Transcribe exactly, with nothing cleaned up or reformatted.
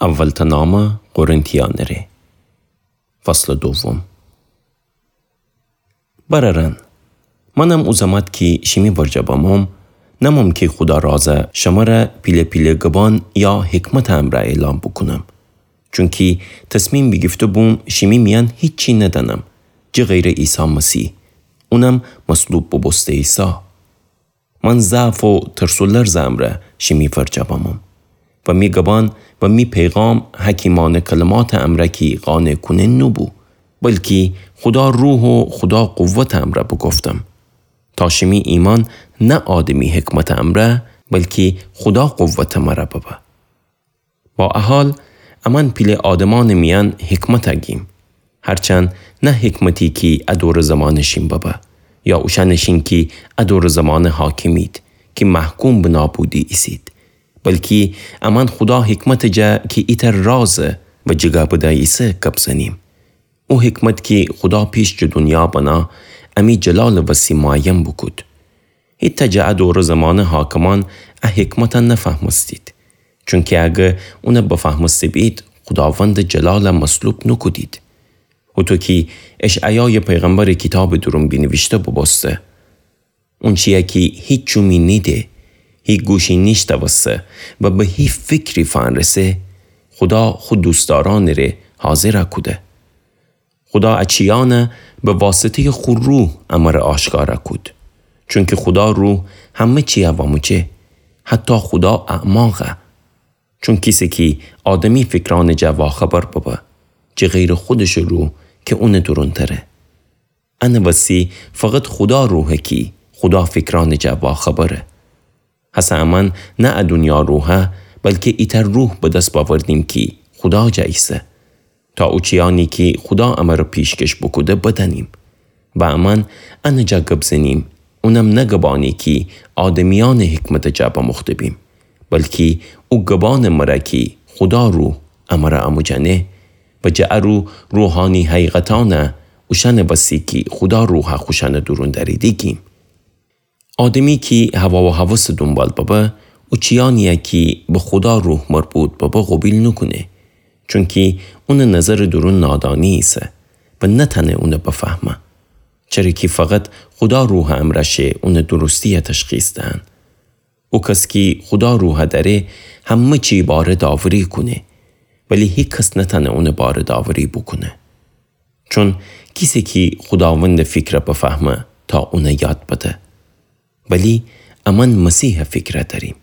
اولتأ نامه قرنتیأنٚ ره. فصلٚ دوم. برأرأن، منم او زمأت کی شیمی ورجه بموم، نموم کی خودا رازه شمره پیله پیله گبأن یا حکمتٚ امرأ اعلام بوکونم. چونکی تصمیم بیگیفته بوم شیمی میأن هیچی ندأنم، جٚه غیرٚ عیسی مسیح، اونم مصلوب بوبوسته ایسا. من ضعف و ترس و لرزٚ امرأ شیمی ورجه بموم و می گبأن و می پیغام حکیمأنه کلماتٚ امرأ کی قانع کونه نوبو، بلکی خودا روح و خودا قوتٚ امرأ بوگفتم، تا شیمی ایمأن نه آدمی حکمتٚ امرأ، بلکی خودا قوتٚ مرأ ببه. با ا حال، امأن پیله آدمأنٚ میأن حکمت گیم، هرچند نه حکمتی کی ا دورٚ زمأنٚ شین ببه، یا اوشأنٚ شین کی ا دورٚ زمأنٚ حاکمید، کی محکوم به نابودی ایسید، بلکی امأن خودا حکمتٚ جا کی ایتأ رازه و جیگا بده ایسه گب زنیم. او حکمت کی خودا پیش جٚه دونیا بنا امی جلالٚ وسی معین بوکود. هیتأ جٚه ا دورٚ زمأنٚ حاکمأن ا حکمت نفهمستید. چونکی اگر اون بفهمسته بید، خوداوندٚ جلال مصلوب نوکودید. هوطو کی اشعیایٚ پیغمبرٚ کیتابٚ دورون بینیویشته بوبوسته: اونچیی کی هیچ چومی نیده، هی گوشی نیشتوسته و به هی فکری فأنرسه، خودا خو دوستدارأنٚ ره حاضر کوده. خودا ا چیأن به واسطه‌یٚ خو روح امر آشکار کود. چونکی خودا روح همه چی واموجه، حتی خودا اعماق. چون کیسه کی آدمی فکرأنٚ جا واخبر ببه، جٚه غیرٚ خودشٚ روح کی اونٚ دورون تره. انٚ وسی فقط خودا روحه کی خودا فکرأنٚ جا واخبره. هسه امأن نه ا دونیا روحه، بلکی ایتأ روح به دس بأوردیم کی خودا جا ایسه، تا او چیأنی کی خودا امر پیشکش بوکوده بدأنیم. و امأن انٚ جا گب زنیم، اونم نه گبأنی کی آدمیأنٚ حکمتٚ جا بموخته بیم، بلکی او گبأنٚ مره کی خودا روح امر اموجأنه و جٚه ا رو روحانی حقیقتأن اوشأنٚ وسی کی خودا روح خوشأنٚ دورون دأریدی گیم. آدمی کی هوا و هوسٚ دونبال ببه، او چیأنیی کی به خودا روح مربوط ببه قوبیل نوکونه. چونکی اونٚ نظرٚ دورون نادانی ایسه و نتأنه اون بفهمه. چره کی فقط خودا روحٚ امرأ شه اونٚ درستیی تشخیص دهن. او کس کی خودا روح دأره، همه چی باره داوری کونه، ولی هیکس نتأنه اونٚ باره داوری بوکونه. چون کیسه کی خوداوندٚ فکر بفهمه تا اون یاد بده. ولی امأن مسیحٚ فکر دأریم.